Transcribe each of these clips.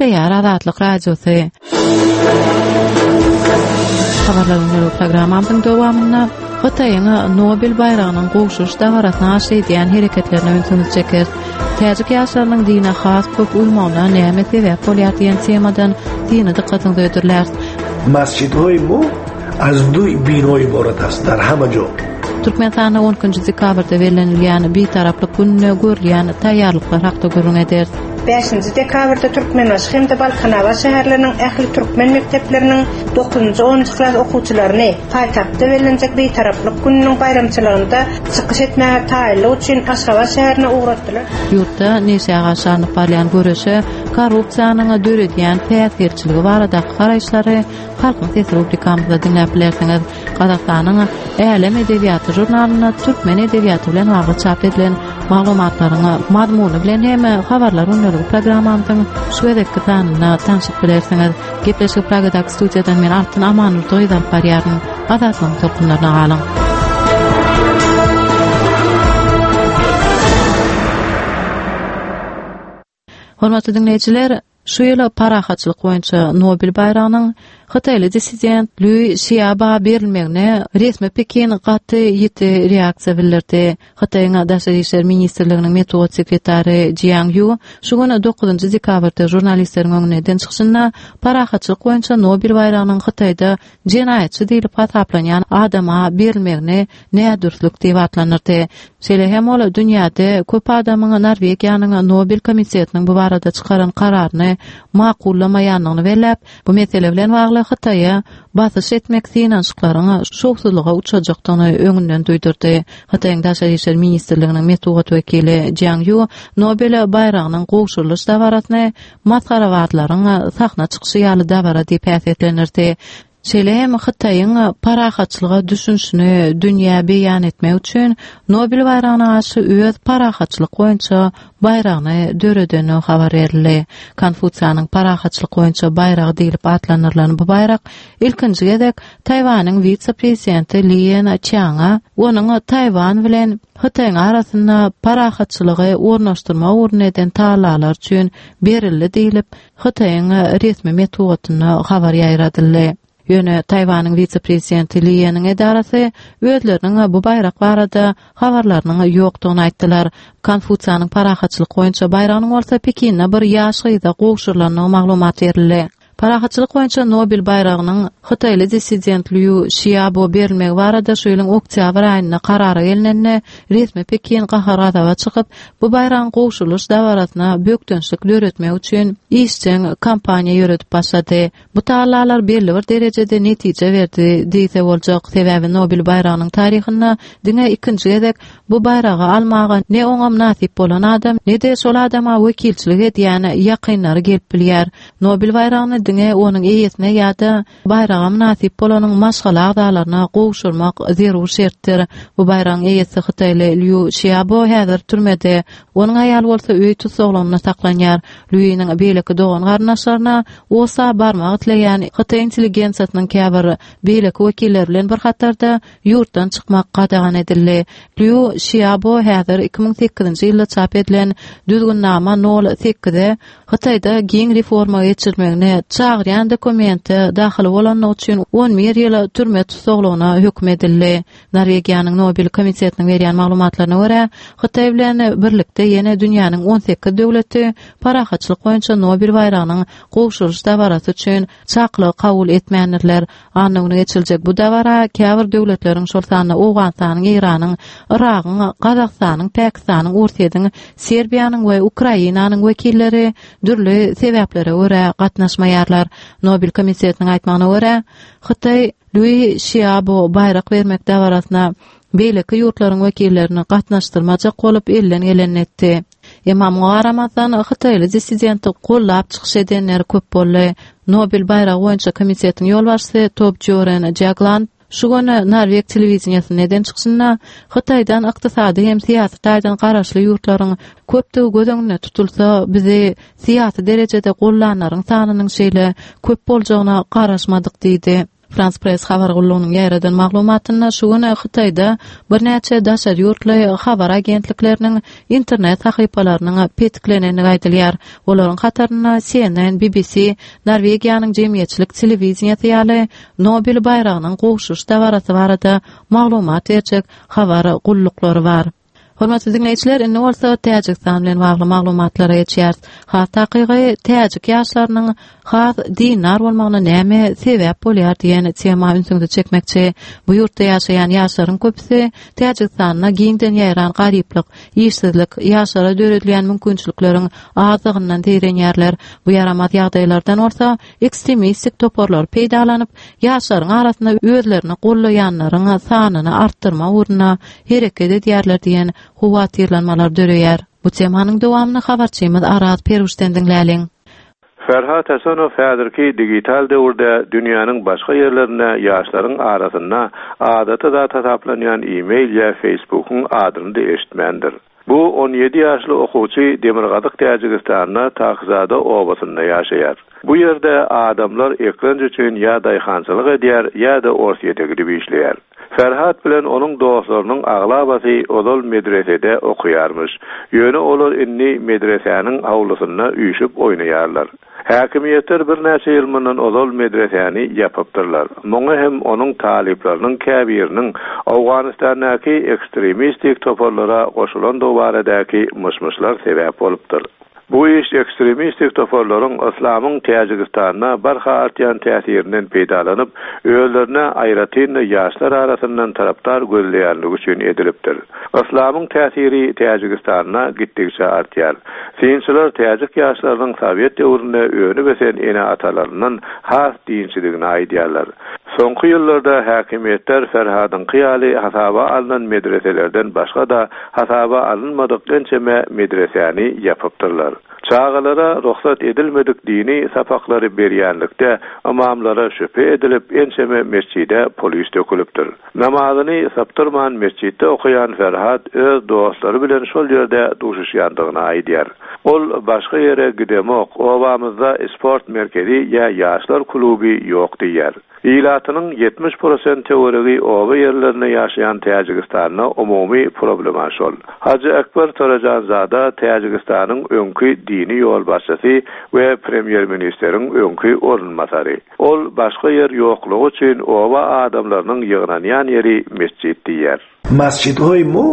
Gepleýär Azatlyk Radiosy. Habarlar gündelik programmamyzyň dowamynda Hytaýyň Nobel baýragynyň gowşuryş dabarasyna garşy edýän hereketlerine ünsüňizi çekeris. Täjik ýaşlarynyň dine has köp uýmagyna näme sebäp bolýar diýen temadan syny dykgatyňyza hödürläris. Masjidhoy mo az du bino iborat ast dar hama jo. Türkmenistanda 12 dekabrda bellenilýän Bitaraplyk gününe görülýän taýýarlyklar hakda gürrüň ederis. Bäşinji dekabrda Türkmenbaşy hem-de Balkanabat şäherleriniň ähli türkmen mekdepleriniň dokuzynjy, onunjy klas okuwçylaryny paýtagtda bellenjek Bitaraplyk gününiň baýramçylygynda çykyş etmäge taýynlyk üçin Aşgabat şäherine ugratdylar. Ýurtda neşä garşy alnyp barylýan göreşe korrupsiýanyň döredýän päsgelçiligi baradaky garaýyşlary Halkyň sesi rubrikamyzda diňläp bilersiňiz. Gazagystanyň Älem edebiýaty žurnalynda türkmen edebiýaty bilen bagly çap edilen maglumatlaryň mazmuny bilen hem habarlar gündeligi programmamyzyň şu gezekki sanynda tanşyp bilersiňiz. Gepleşigi Pragadaky studiýadan men Altyn Amanurdygyz alyp barýaryn. Azatlygyň tolkunlaryna galyň. Hormatly diňleýjiler, şu ýyl parahatçylyk boýunça Nobel baýragynyň hytaýly dissident Lýu Şiaba berilmegine resmi Pekin gaty ýiti reaksiýa bildirdi. Hytaýyň Daşary işler ministrliginiň metbugat sekretary Jiang Ýu şu gün dokuzynjy dekabrda žurnalistleriň öňünde eden çykyşynda parahatçylyk boýunça Nobel baýragynyň Hytaýda jenaýatçy diýlip hasaplanýan adama berilmegini nädürslik diýip atlandyrdy. Şeýle hem ol dünýäde köp adamyň Norwegiýanyň Nobel komitetiniň bu barada çykaran kararyny makullamaýandygyny belläp, bu mesele bilen bagly Hytaýa basyş etmek synanyşyklaryň şowsuzlyga uçrajakdygyny öňünden duýdurdy. Hytaýyň Daşary işler ministrliginiň metbugat wekili Jiang Ýu Nobel baýragynyň gowşurylyş dabarasyny masgarabazlaryň sahna çykyşy ýaly dabara diýip häsiýetlendirdi. Şeýle hem Hytaýyň parahatçylyga düşünişini dünýä beýan etmek üçin Nobel baýragyna garşy öz parahatçylyk boýunça baýragyny döredendigi habar berildi. Konfusiýanyň parahatçylyk boýunça baýragy diýlip atlandyrylan bu baýrak ilkinji gezek Taýwanyň wise-prezidenti Lien Çianga onuň Taýwan bilen Hytaýyň arasynda parahatçylygy ornaşdyrmak ugrunda eden tagallalary üçin berildi diýlip, Hytaýyň resmi metbugatynda habar ýaýradyldy. Ýöne Taýwanyň wise-prezidenti Lieniň edarasy özleriniň bu baýrak barada habarlarynyň ýokdugyny aýtdylar. Konfusiýanyň parahatçylyk boýunça baýragynyň bolsa Pekinde bir ýaş gyza gowşurylandygy maglumat berildi. Parahatçylyk boýunça Nobel baýragynyň hytaýly dissident Lýu Şiabo berilmegi barada şu ýylyň oktýabr aýynda karara gelnende, resmi Pekin gahar-gazaba çykyp, bu baýragyň gowşurylyş dabarasyna bökdençlik döretmek üçin işjeň kampaniýa ýöredip başlady. Bu tagallalar belli bir derejede netije berdi diýse boljak, sebäbi Nobel baýragynyň taryhynda diňe ikinji gezek Bu baýragy almaga ne oňa mynasyp bolan adam, ne-de şol adama wekilçilik edýän ýakynlary gelip bilýär. Nobel baýragyny diňe onuň eýesine ýa-da baýraga mynasyp bolanyň maşgala agzalaryna gowşurmak zerur şertdir. Bu baýragyň eýesi hytaýly Lýu Şiabo häzir türmede, onuň aýaly bolsa öý tussaglygynda saklanýar. Lýunyň beýleki dogan-garyndaşlaryna Osa barmak isleýän hytaý intelligensiýasynyň käbir beýleki wekilleri bilen bir hatarda ýurtdan çykmak gadagan edildi. Lýu Şiabo häzir 2008-nji ýylda çap edilen Düzgünnama nol sekize Hytaýda giň reforma geçirilmegine çagyrýan dokumente dahyly bolandygy üçin 11 ýyl türme tussaglygyna höküm edildi. Norwegiýanyň Nobel komitetiniň berýän maglumatlaryna görä, Hytaý bilen birlikde ýene dünýäniň 18 döwleti parahatçylyk boýunça Nobel baýragynyň gowşurylyş dabarasy üçin çakylygy kabul etmändirler. Anna güni geçiriljek bu dabara käbir döwletleriň, şol sanda Owganystanyň, Eýranyň, Yragyň, Gazagystanyň, Pakistanyň, Orsýetiň, Serbiýanyň we Ukrainanyň wekilleri dürli sebäplere görä gatnaşmaýarlar. Nobel komitetiniň aýtmagyna görä, Hytaý Lýui Şiabo baýrak bermek dabarasyna beýleki ýurtlaryň wekillerini gatnaşdyrmajak bolup elden gelenini etdi. Emma muňa garamazdan, hytaýly dissidenti gollap çykyş edenler köp boldy. Nobel baýragy boýunça komitetiň ýolbaşçysy Tobjoren Jagland şu gün norweg telewideniýesinde eden çykyşynda Hytaýdan ykdysady hem syýasy taýdan garaşly ýurtlaryň köpdügi göz öňünde tutulsa, bizi syýasy derejede gollanlaryň sanynyň şeýle köp boljagyna garaşmadyk diýdi. Frans Press habar gullugynyň ýaýradan maglumatynda şu gün Hytaýda birnäçe daşary ýurtly habar agentlikleriniň internet sahypalarynyň petiklenendigi aýdylýar. Olaryň hatarynda CNN, BBC, Norwegiýanyň jemgyýetçilik telewideniýesi ýaly Nobel baýragynyň gowşuryş dabarasy barada maglumat berjek habar gulluklary bar. Hormatly diňleýjiler, indi bolsa Täjigistan bilen bagly maglumatlara geçýäris. Has takygy, täjik ýaşlarynyň has dindar bolmagyna näme sebäp bolýar diýen tema ünsüňizi çekmekçi. Bu ýurtda ýaşaýan ýaşlaryň köpüsi Täjigistanda giňden ýaýran garyplyk, işsizlik, ýaşlara döredilýän mümkinçilikleriň azdygyndan zeýrenýärler. Bu ýaramaz ýagdaýlardan bolsa ekstremistik toparlar peýdalanyp, ýaşlaryň arasynda özlerini gollaýanlaryň sanyny artdyrmak ugrunda hereket edýärler diýen howatyrlanmalar döreýär. Bu temanyň dowamyny habarçymyz Araz Perwişden diňläliň. Ferhat Hasanow häzirki digital döwürde dünýäniň başga ýerlerinde ýaşlaryň arasynda adaty zat hasaplanýan e-mail ýa Facebook-yň adyny-da eşitmändir. Bu 17 ýaşly okuwçy demirgazyk Täjigistanda Takzada obasynda ýaşaýar. Bu ýerde adamlar eklenç üçin ýa daýhançylyk edýär, ýa-da Orsýete gidip işleýär. Ferhat bilen onuň dostlarynyň aglabasy ozal medresede okaýarmyş. Ýöne olar indi medresäniň howlusynda üýşüp oýnaýarlar. Häkimiýetler birnäçe ýyl mundan ozal medresäni ýapypdyrlar. Muňa hem onuň talyplarynyň käbiriniň Owganystandaky ekstremistik toparlara goşulandygy baradaky myş-myşlar sebäp bolupdyr. Bu iş ekstremistik toparlaryň yslamyň Täjigistanda barha artýan täsirinden peýdalanyp, özlerine, aýratyn-da ýaşlar arasyndan tarapdar gözleýänligi üçin edilipdir. Yslamyň täsiri Täjigistanda gitdigiçe artýar. Synçylar täjik ýaşlarynyň sowet döwründe önüp-ösen ene-atalaryndan has dinçidigini aýdýarlar. Soňky ýyllarda häkimiýetler Ferhadyňky ýaly hasaba alnan medreselerden başga-da hasaba alynmadyk ençeme medresäni ýapypdyrlar. Çagalara rugsat edilmedik dini sapaklary berýänlikde ymamlara şübhe edilip ençeme metjide polis dökülipdir. Namazyny sypdyrman metjitde okaýan Ferhat öz dostlary bilen şol ýerde duşuşýandygyny aýdýar. Ol başga ýere gidemok, obamyzda sport merkezi ýa ýaşlar kluby ýok diýýär. Ilatynyň 70 prosent töweregi oba ýerlerinde ýaşaýan Täjigistanda umumy problema şol. Hajy Ekber Torajanzada Täjigistanyň öňki dini ýolbaşçysy we premýer-ministeriň öňki orunbasary. Ol başga ýer ýoklugy üçin oba adamlarynyň ýygnanýan ýeri metjit diýýär. Masjidhoy mo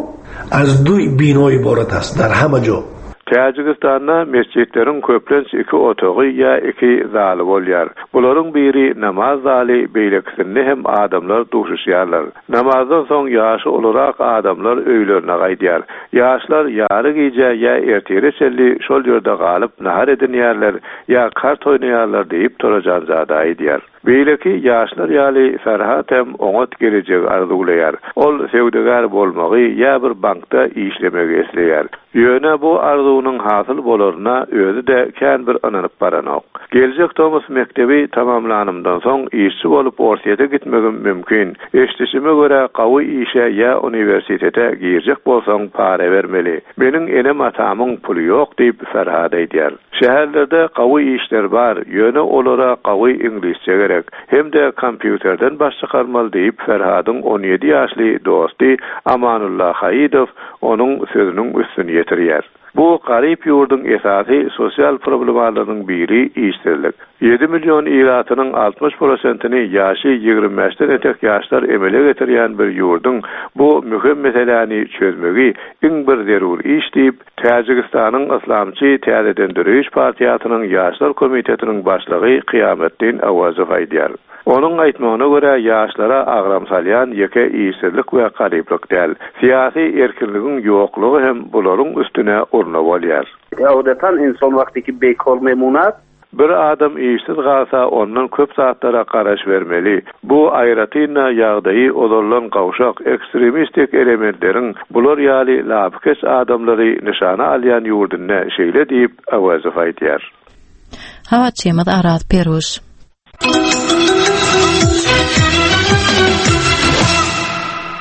az du bino iborat ast dar hama jo. Täjigistanda metjitleriň köplenç iki otagy ýa iki zaly bolýar. Bularyň biri namaz zaly, beýlekisinde hem adamlar duşuşýarlar. Namazdan soň ýaşy ulurak adamlar öýlerine gaýdýar. Ýaşlar ýary gije ýa ertire çenli şol ýerde galyp nahar edinýärler ýa kart oýnaýarlar diýip Torajanzada aýdýar. Beýleki ýaşlar ýaly Ferhat hem oňat gelejegi arzuwlaýar. Ol söwdagär bolmagy ýa bir bankda işlemegi isleýär. Ýöne bu arzuwynyň hasyl bolaryna özi-de kän bir ynanyp baranok. Geljek tomus mekdebi tamamlanymdan soň işçi bolup Orsýete gitmegim mümkin. Eşidişime görä gawy işe ýa uniwersitete girjek bolsaň para bermeli. Meniň enem-atamyň puly ýok diýip Ferhat aýdýar. Şäherlerde gawy işler bar, ýöne olara gawy iňlisçe gerek. Hem-de kompýuterden baş çykarmaly diýip Ferhadyň 17 ýaşly dosty Amanulla Haýydow onuň sözüniň üstüni ýetirýär. Bu garyp ýurduň esasy sosial problemalarynyň biri işsizlik. Ýedi million ilatynyň 60 prosentini ýaşy 25-den etek ýaşlar emele getirýän bir ýurduň bu möhüm meseläni çözmegi iň bir zerur iş diýip, Täjigistanyň Yslamçy täzeden döreýiş partiýasynyň Ýaşlar komitetiniň başlygy Kyýametdin Awazow aýdýar. Onuň aýtmagyna görä, ýaşlara agram salýan ýeke işsizlik we garyplyk däl, syýasy erkinligiň ýoklugy hem bularyň üstüne urna bolýar. Adatan inson wagty ki bekor memunat. Bir adam işsiz galsa, ondan köp zatlara garaşybermeli. Bu, aýratyn-da, ýagdaýy ozaldan gowşak, ekstremistik elementleriň bular ýaly lapykeç adamlary nyşana alýan ýurdunda şeýle diýip, Awazow aýdýar. Habarçymyz Araz Peruş.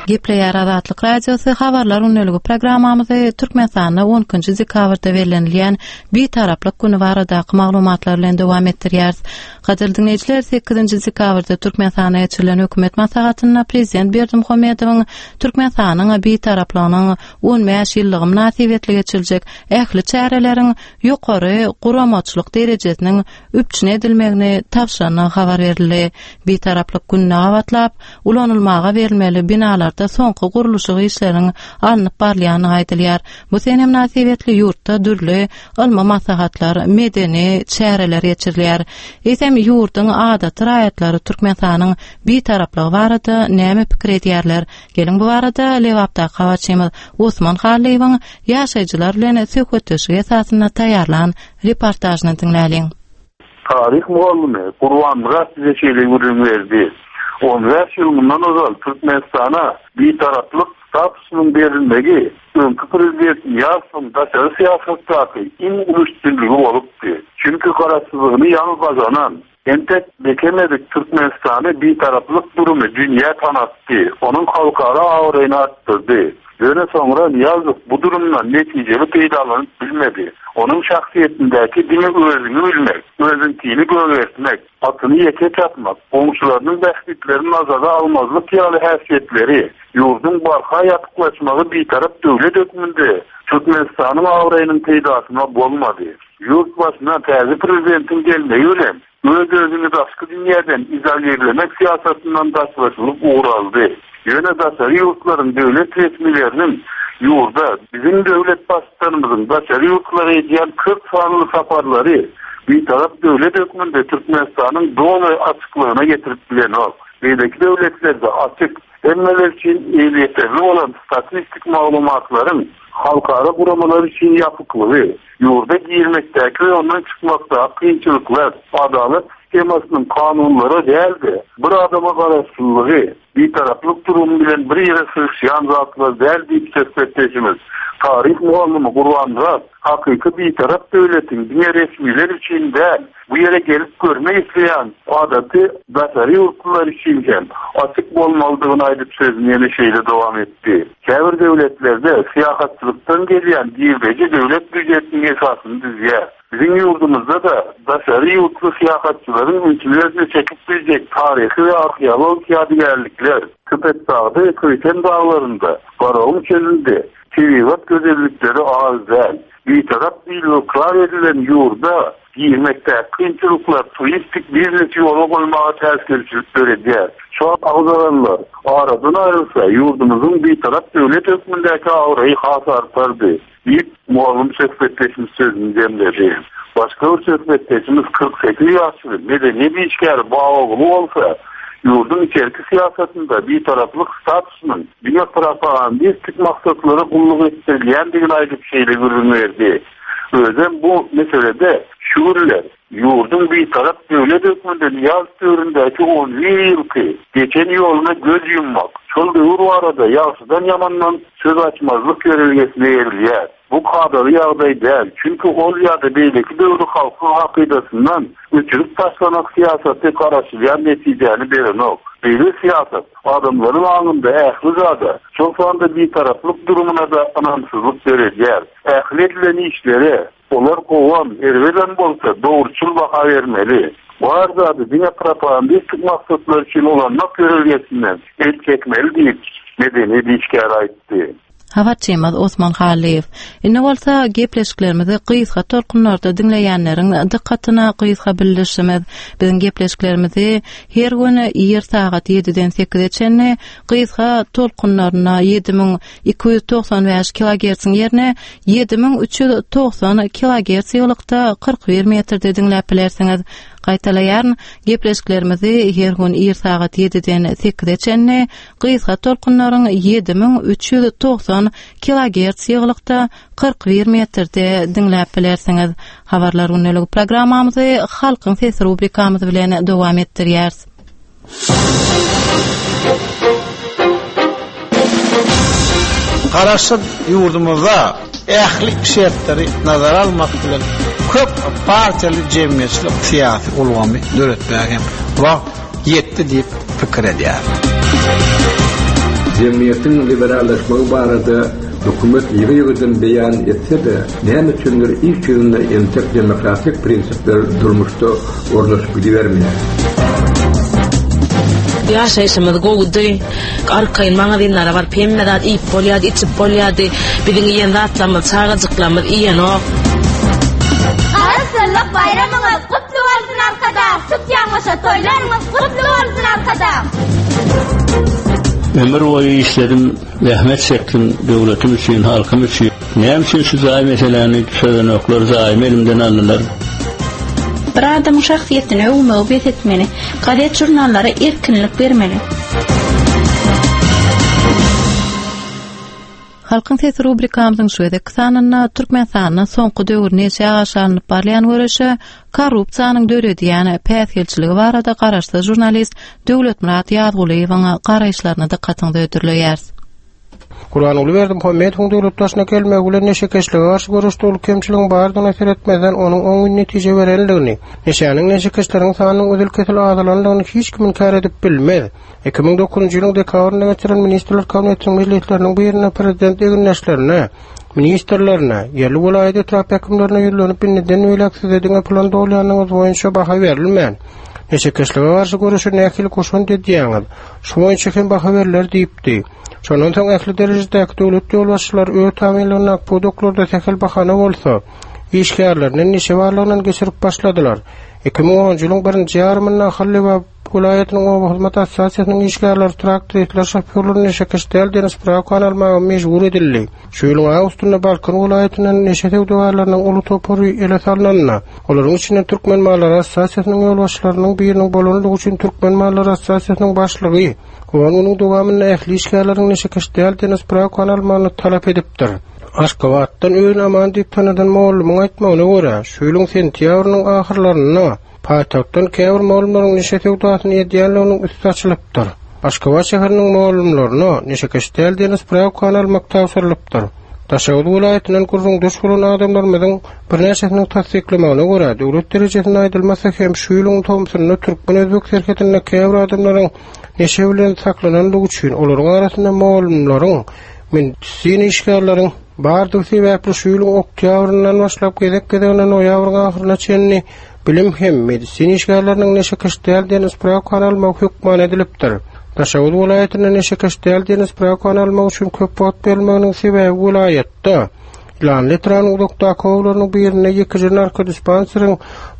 Gepleýär Azatlyk Radiosy Habarlar gündeligi programmamyzy Türkmenistanda 12 dekabrda bellenilýän Bitaraplyk güni baradaky maglumatlar bilen dowam etdirýäris. Gadyrly diňleýjiler, 8 dekabrda Türkmenistanda geçirilen hökümet maslahatynda Prezident Berdimuhamedowyň Türkmenistanyň Bitaraplygynyň 15 ýyllygy mynasybetli geçiriljek ähli çäreleriň ýokary guramaçylyk derejesiniň üpjün edilmegini tabşyrandygy habar berildi. Bitaraplyk gününe gabatlap, ulanylmaga berilmeli binalarda soňky gurluşyk işleriniň alnyp barylýandygy aýdylýar. Bu sene mynasybetli ýurtda dürli ylmy maslahatlar, medeni çäreler geçirilýär. Eýsem, ýurduň adaty raýatlary Türkmenistanyň Bitaraplygy barada näme pikir edýärler? Geliň bu barada Lebapdaky habarçymyz Osman Hallyýewiň ýaşaýjylar bilen söhbetdeşlik esasynda taýýarlan reportažyny diňläliň. Taryh mugallymy Gurbanmyrat bize şeýle gürrüň berdi, On bäş ýyl mundan ozal Türkmenistana Bitaraplyk statusynyň berilmegi öňki prezident Nyýazowyň daşary syýasatdaky iň uly üstünligi bolupdy. Çünki garaşsyzlygyny ýaňy gazanan, Entek bekemedik Türkmenistany bitaraplyk durumy dünýä tanatdy, onuň halkara abraýyny artdyrdy. Ýöne soňra Nyýazow bu durumdan netijeli peýdalanyp bilmedi. Onuň şahsyýetindäki diňe özüňi bilmek, özüňkini gögertmek, atyny ýeke çapmak, goňşularynyň bähbitlerini nazara almazlyk ýaly häsiýetleri ýurduň barha ýapyklaşmagy bitarap döwlet hökmünde Türkmenistanyň abraýynyň peýdasyna bolmady. Ýurt başyna täze prezidentiň gelmegi bilen, öz-özüňi daşky dünýäden izolirlemek syýasatyndan daşlaşylyp ugraldy. Ýöne daşary ýurtlaryň döwlet resmileriniň ýurda, biziň döwlet Baştutanymyzyň daşary ýurtlara edýän köp sanly saparlary Bitarap döwlet hökmünde Türkmenistanyň doly açyklygyna getirip bilenok. Beýleki döwletlerde açyk, hemmeler üçin elýeterli bolan statistik maglumatlaryň halkara guramalar üçin ýapyklygy, Ýurda girmekdäki we ondan çykmakdaky kynçylyklar, adalat sistemasynyň kanunlara däl-de, bir adama garaşlylygy, bitaraplyk durumy bilen bir ýere sygyşýan zatlar däl diýip söhbetdeşimiz, taryh mugallymy Gurbanmyrat hakyky bitarap döwletiň diňe resmiler üçin däl, bu ýere gelip görmek isleýän adaty daşary ýurtlular üçin hem açyk bolmalydygyny aýdyp sözüni ýene şeýle dowam etdi. Käbir döwletlerde syýahatçylykdan gelýän girdeji döwlet býujetiniň esasyny düzýär. Biziň ýurdumyzda-da daşary ýurtly syýahatçylaryň ünsüni özüne çekip biljek taryhy we arheologik ýadygärlikler, Köpetdagda we Köýten daglarynda, Garagum çölünde tebigat gözellikleri az däl. Bitarap diýlip ykrar edilen ýurda Girmekdäki kynçylyklar turistik biznesi ýola goýmaga päsgelçilik döredýär. Şu agzalanlar aradan aýrylsa, ýurdumyzyň Bitarap döwlet hökmündäki abraýy has artardy, diýip, mugallym söhbetdeşimiz sözüni jemledi. Başga bir söhbetdeşimiz 48 ýaşly medeniýet işgäri Babaguly bolsa, ýurduň içerki syýasatynda Bitaraplyk statusynyň diňe propagandistik maksatlara gulluk etdirilýändigini aýdyp şeýle gürrüň berdi. Özem bu meselede şu günler ýurduň Bitarap döwlet hökmünde Nyýazow döwründäki on bir ýylky geçen ýoluna göz ýummak, şol döwür barada ýagşydan-ýamandan söz açmazlyk ýörelgesine eýerilýär. Bu kadaly ýagdaý däl, çünki ol ýa-da beýleki döwri halkyň hakydasyndan öçürip taşlamak syýasaty garaşylýan netijäni berenok. Beýle syýasat adamlaryň aňynda ähli zada, şol sanda Bitaraplyk durumyna-da ynamsyzlyk döredýär. Ähli edilen işlere, olar gowam, erbedem bolsa, dogruçyl baha bermeli. Bar zady diňe propagandistik maksatlar üçin ulanmak ýörelgesinden el çekmeli diýip, medeniýet işgäri aýtdy. Habarçymyz Osman Hallyýew. Indi bolsa gepleşiklerimizi gysga tolkunlarda diňleýänleriň dykgatyna gysga bildirişimiz. Biziň gepleşiklerimizi her gün ir sagat ýediden sekize çenli gysga tolkunlarynda 7295 kilogertsiň ýerine 7390 kilogerts ýygylykda 41 metrde diňläp bilersiňiz. Gaýtalaýaryn, gepleşiklerimizi her gün ir sagat 7-den 8-e çenli gysga tolkunlaryň 7390 kilogerts ýygylykda 41 metrde diňläp bilersiňiz. Habarlar gündeligi programmamyzy Halkyň sesi rubrikamyz bilen dowam etdirýäris. Garaşsyz ýurdumyzda ähli şertleri nazara almak bilen, köp partiýaly jemgyýetçilik-syýasy ulgamy döretmäge hem wagt ýetdi diýip pikir edýärin. Jemgyýetiň liberallaşmagy barada hökümet ýygy-ýygydan beýan etse-de, näme üçindir iş ýüzünde entek demokratik prinsipler durmuşda ornaşyp gidibermeýär. Ýaşaýşymyz gowudy. Arkaýyn magazinlere baryp hemme zat iýip bolýardy, içip bolýardy. Biziň iýen zatlarymyzy çagajyklarymyz iýenok. Garaşsyzlyk baýramyňyz gutly bolsun Arkadag! Tutýan goşa toýlaryňyz gutly bolsun Arkadag! Ömür boýy işledim, zähmet çekdim döwletim üçin, halkym üçin. Näme üçin şu jaý meseläni çözenoklar, jaýymy elimden aldylar. Bir adamyň şahsyýetini öwmegi bes etmeli. Gazet-žurnallara erkinlik bermeli. Halkyň sesi rubrikamyzyň şu gezekki sanynda Türkmenistanda soňky döwür neşä garşy alnyp barylýan göreşe korrupsiýanyň döredýän päsgelçiligi barada garaşsyz žurnalist Döwletmyrat Ýazgulyýewiň garaýyşlaryny dykgatyňyza hödürleýäris. Gurbanguly Berdimuhamedowyň döwlet başyna gelmegi bilen neşekeşlige garşy göreşde uly kemçiligiň bardygyna seretmezden, onuň oňyn netije berendigini, neşäniň neşekeşleriň sanynyň üzül-kesil azalandygyny hiç kim inkär edip bilmez. 2009-njy ýylyň dekabrynda geçirilen Ministrler Kabinetiniň mejlisleriniň birinde prezident egindeşlerine, ministrlerine, ýerli welaýat etrap häkimlerine ýüzlenip indiden beýläk size diňe plan dolýanyňyz boýunça baha berilmän, neşekeşlige garşy göreşe nähili goşant edýäňiz, şu boýunça hem baha berler diýipdi. Şondan soň ähli derejedäki döwlet ýolbaşçylary öz tabynlygyndaky pudaklarda sähel bahana bolsa, işgärlerini neşe barlagyndan geçirip başladylar. 2010-njy ýylyň birinji ýarymynda Ahal Lebap welaýatynyň oba hyzmat assosiasiýasynyň işgärleri traktoristler şofýorlary neşekeş däl diýen sprawkany almaga mejbur edildi. Şu ýylyň awgustynda Balkan welaýatyndan neşe söwdagärleriniň uly topary ele salnanda, olaryň içinde Türkmen mallary assosiasiýasynyň ýolbaşçylarynyň biriniň bolandygy üçin Türkmen mallary assosiasiýasynyň başlygy on günüň dowamynda ähli işgärleriň neşekeş däl diýen sprawkany almagyny talap edipdir. Aşgabatdan özüni Aman diýip tanadan mugallymyň aýtmagyna görä, şu ýylyň sentýabrynyň ahyrlarynda Paýtagtdan käbir mugallymlaryň neşe söwdasyny edýänliginiň üsti açylypdyr. Aşgabat şäheriniň mugallymlaryna neşekeş däl diýen sprawkany almak tabşyrylypdyr. Daşoguz welaýatyndan gürrüňdeş bolan adamlarymyzyň birnäçesiniň tassyklamagyna görä, döwlet derejesinde aýdylmasa hem şu ýylyň tomsunda türkmen-özbek serhedinde käbir adamlaryň neşe bilen saklanandygy üçin olaryň arasynda mugallymlaryň, medisina işgärleriň bardygy sebäpli şu ýylyň oktýabryndan başlap gezek-gezegine noýabryň ahyryna çenli Bilim hem medisina işgärleriniň neşekeş däl diýen sprawkany almagy hökman edilipdir. Daşoguz welaýatynda neşekeş däl diýen sprawkany almak üçin köp wagt berilmeginiň sebäbi welaýatda Ýylanly etrabynyň uzakdaky obalarynyň birinde ýekeje narkodispanseriň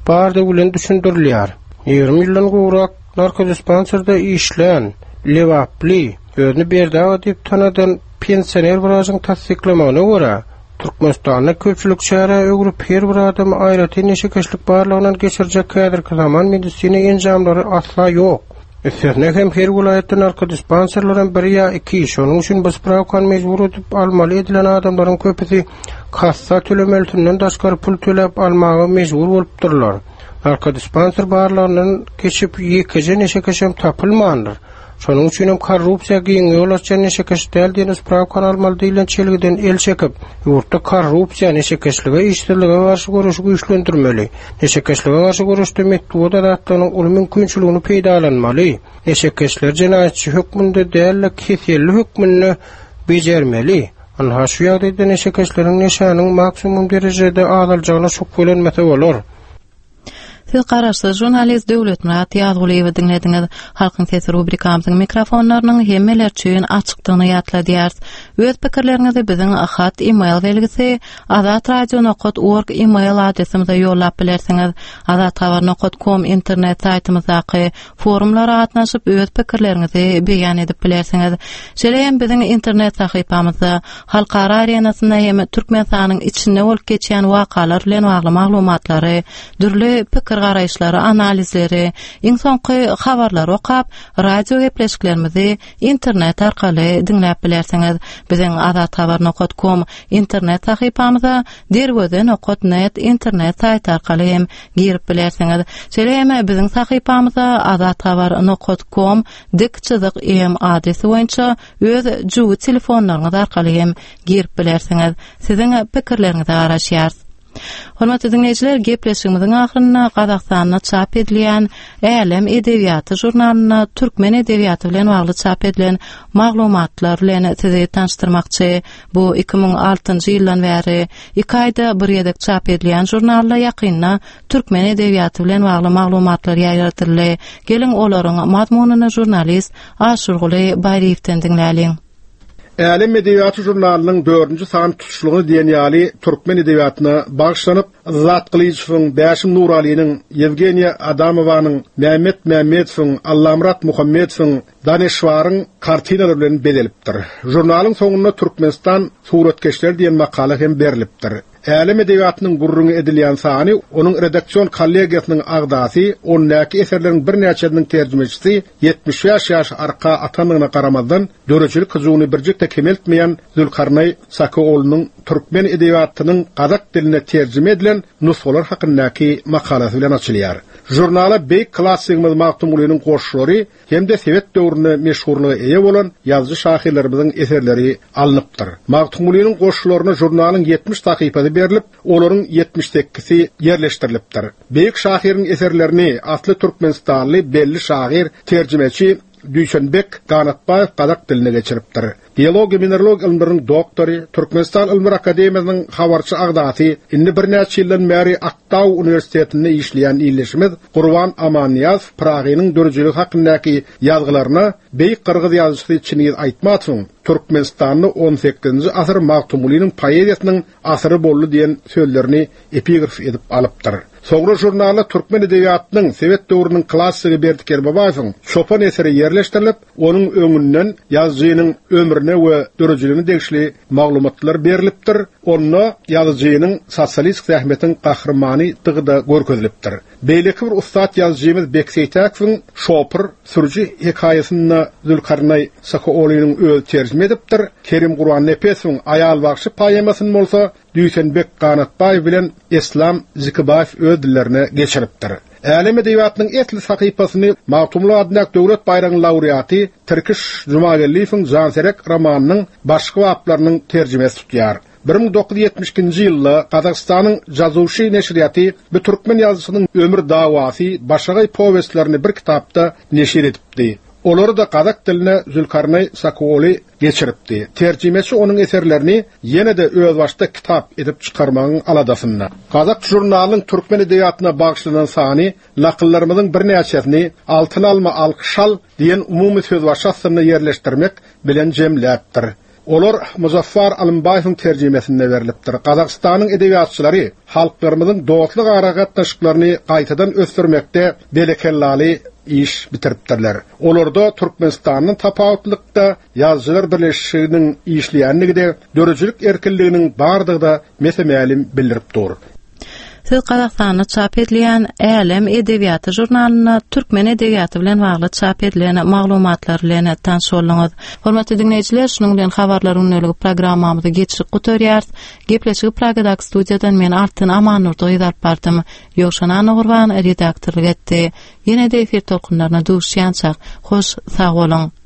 bardygy bilen düşündirilýär. 20 ýyldan gowrak narkodispanserde işlän lebaply, özüni Berdi aga diýip tanadan pensioner wraçyň tassyklamagyna görä, Türkmenistanda köpçülik çärä öwrüp, her bir adamy aýratyn neşekeşlik barlagyndan geçirjek häzirki zaman medisina enjamlary asla ýok. Üstesine hem her welaýatda narkodispanserlerem bir ýa iki, şonuň üçin bu sprawkany mejbur edip almaly edilen adamlaryň köpüsi kassa tölemelisinden daşgary pul töläp almaga mejbur bolupdyrlar. Narkodispanser barlagyndan geçip ýekeje neşekeşem tapylmandyr. Şonuň üçinem korrupsiýa giň ýol açýan neşekeş däl diýen sprawkany almaly diýlen çelgiden el çekip, ýurtda korrupsiýa, neşekeşlige, işsizlige garşy göreşi güýçlendirmeli. Neşekeşlige garşy göreşde metbugat azatlygynyň uly mümkinçiligini peýdalanmaly. Neşekeşleri jenaýatçy hökmünde däl-de, keselli hökmünde bejermeli. Ynha, şu ýagdaýda neşekeşleriň neşäniň maksimum derejede azaljagyna şübhelenmese bolar. Siz garaşsyz žurnalist Döwletmyrat Ýazgulyýewi diňlediňiz. Halkyň sesi rubrikamyzyň mikrofonlarynyň hemmeler üçin açykdygyny ýatladýarys. Öz pikirleriňizi biziň hat e-mail belgisi azatradio.org e-mail adresimize ýollap bilersiňiz. Azathabar.com internet saýtymyzdaky forumlara gatnaşyp öz pikirleriňizi beýan edip bilersiňiz. Şeýle hem biziň internet sahypamyzda halkara arenasynda hem Türkmenistanyň içinde bolup geçýän wakalar bilen bagly maglumatlary, dürli pikir-garaýyşlary, analizleri, iň soňky habarlary okap, radio gepleşiklerimizi internet arkaly diňläp bilersiňiz. Biziň azathabar.com internet sahypamyza derweze nokat net internet saýty arkaly hem girip bilersiňiz. Şeýle hem biziň sahypamyza azathabar nokat kom dik çyzyk em adresi boýunça öz jübi telefonlaryňyz arkaly hem girip bilersiňiz. Siziň pikirleriňize garaşýarys. Hormatly diňleýjiler, gepleşigimiziň ahyrynda Gazagystanda çap edilýän Älem edebiýaty žurnalynda türkmen edebiýaty bilen bagly çap edilen maglumatlar bilen sizi tanyşdyrmakçy. Bu 2006-njy ýyldan bäri iki aýda bir gezek çap edilýän žurnalda ýakynda türkmen edebiýaty bilen bagly maglumatlar ýaýradyldy. Geliň, olaryň mazmunyny žurnalist Aşyrguly Baýryýewden diňläliň. Älem edebiýaty žurnalynyň dördünji sany tutuşlygyna diýen ýaly türkmen edebiýatyna bagyşlanyp, Yzzat Gylyjowyň, Bäşim Nuralynyň, Ýewgeniýa Adamowanyň, Mämmet Mämmedowyň, Allamyrat Muhammedowyň, Daneşwaryň kartinalary bilen bezelipdir. Žurnalyň soňunda Türkmenistan suratkeşleri diýen makala hem berlipdir. Älem edebiýatynyň gürrüňi edilýän sany onuň redaksion kollegiýasynyň agzasy, ondaky eserleriň birnäçesiniň terjimeçisi, 75 ýaş arka atandygyna garamazdan, döredijilik hyjuwyny birjik-de kemeltmeýän Zülkarnaý Sakyoglunyň türkmen edebiýatynyň gazak diline terjime edilen nusgalary hakyndaky makalasy bilen açylýar. Žurnala beýik klassigimiz Magtymgulynyň goşgulary hem-de sowet döwründe meşhurlyga eýe bolan ýazyjy-şahyrlarymyzyň eserleri alnypdyr. Magtymgulynyň goşgularyna žurnalyň 70 sahypasy berlip, olaryň 78-si ýerleşdirilipdir. Beýik şahyryň eserlerini asly türkmenistanly belli şahyr, terjimeçi Düýşenbek Ganatbaýew gazak diline geçiripdir. Geologiýa-mineralogiýa ylymlarynyň doktory, Türkmenistan Ylymlar akademiýasynyň habarçy agzasy, indi birnäçe ýyldan bäri Aktau uniwersitetinde işleýän ildeşimiz Gurban Amannyýazow Pyragynyň döredijiligi hakyndaky ýazgylaryna beýik gyrgyz ýazyjysy Çingiz Aýtmatowyň Türkmenistanda on sekizinji asyr Magtymgulynyň poeziýasynyň asyry boldy diýen sözlerini epigraf edip alypdyr. Soňra žurnalda türkmen edebiýatynyň sowet döwrüniň klassygy Berdi Kerbabaýewiň Çopan eseri ýerleşdirilip, onuň öňünden ýazyjynyň ömrüne we döredijiligine degişli maglumatlar berlipdir, onda ýazyjynyň Sosialistik zähmetiň gahrymanydygy-da görkezilipdir. Beýleki bir ussat ýazyjymyz Bek Seýtäkowyň Şopur, sürüji hekaýasyny-da Zülkarnaý Sakyoglynyň özi terjime edipdir, Kerim Gurbannepesowyň Aýal bagşy poemasyny bolsa Düýşenbek Ganatbaýew bilen Eslam Zikibaýew öz dillerine geçiripdir. Älem edebiýatynyň esli sahypasyny Magtymguly adyndaky Döwlet baýragynyň laureaty Tirkiş Jumageldiýewiň Janserek romanynyň başky baplarynyň terjimesi tutýar. 1972-nji ýylda Gazagystanyň Jazuşy neşirýaty bu türkmen ýazyjysynyň Ömür dawasy, Başagaý powestlerini bir kitapda neşir edipdi. Olary-da gazak diline Zülkarnaý Sakuoly geçiripdi. Terjimeçi onuň eserlerini ýene-de özbaşdak kitap edip çykarmagyň aladasynda. Gazak žurnalynyň türkmen edebiýatyna bagyşlanan sany nakyllarymyzyň birnäçesini Altyn alma, alkyş al diýen umumy sözbaşy astynda ýerleşdirmek bilen jemläpdir. Olar Muzaffar Alymbaýewiň terjimesinde berlipdir. Gazagystanyň edebiýatçylary halklarymyzyň dostluk aragatnaşyklaryny gaýtadan ösdürmekde belekellaly iş bitiripdirler. Olarda Türkmenistandan tapawutlylykda Ýazyjylar birleşiginiň işleýändigi-de, döredijilik erkinliginiň bardygy-da mese-mälim bildirip dur. Siz Gazagystanda çap edilýän Älem edebiýaty žurnalynda türkmen edebiýaty bilen bagly çap edilen maglumatlar bilen tanyş bolduňyz. Hormatly diňleýjiler, şunuň bilen Habarlar gündeligi programmamyzy geçirip gutarýarys. Gepleşigi Pragadaky studiýadan men Altyn Amannurdy gyz alyp bardym. Ýowşan Annagurban redaktorlyk etdi. Ýene-de efir tolkunlaryna duşýançak, hoş sag boluň!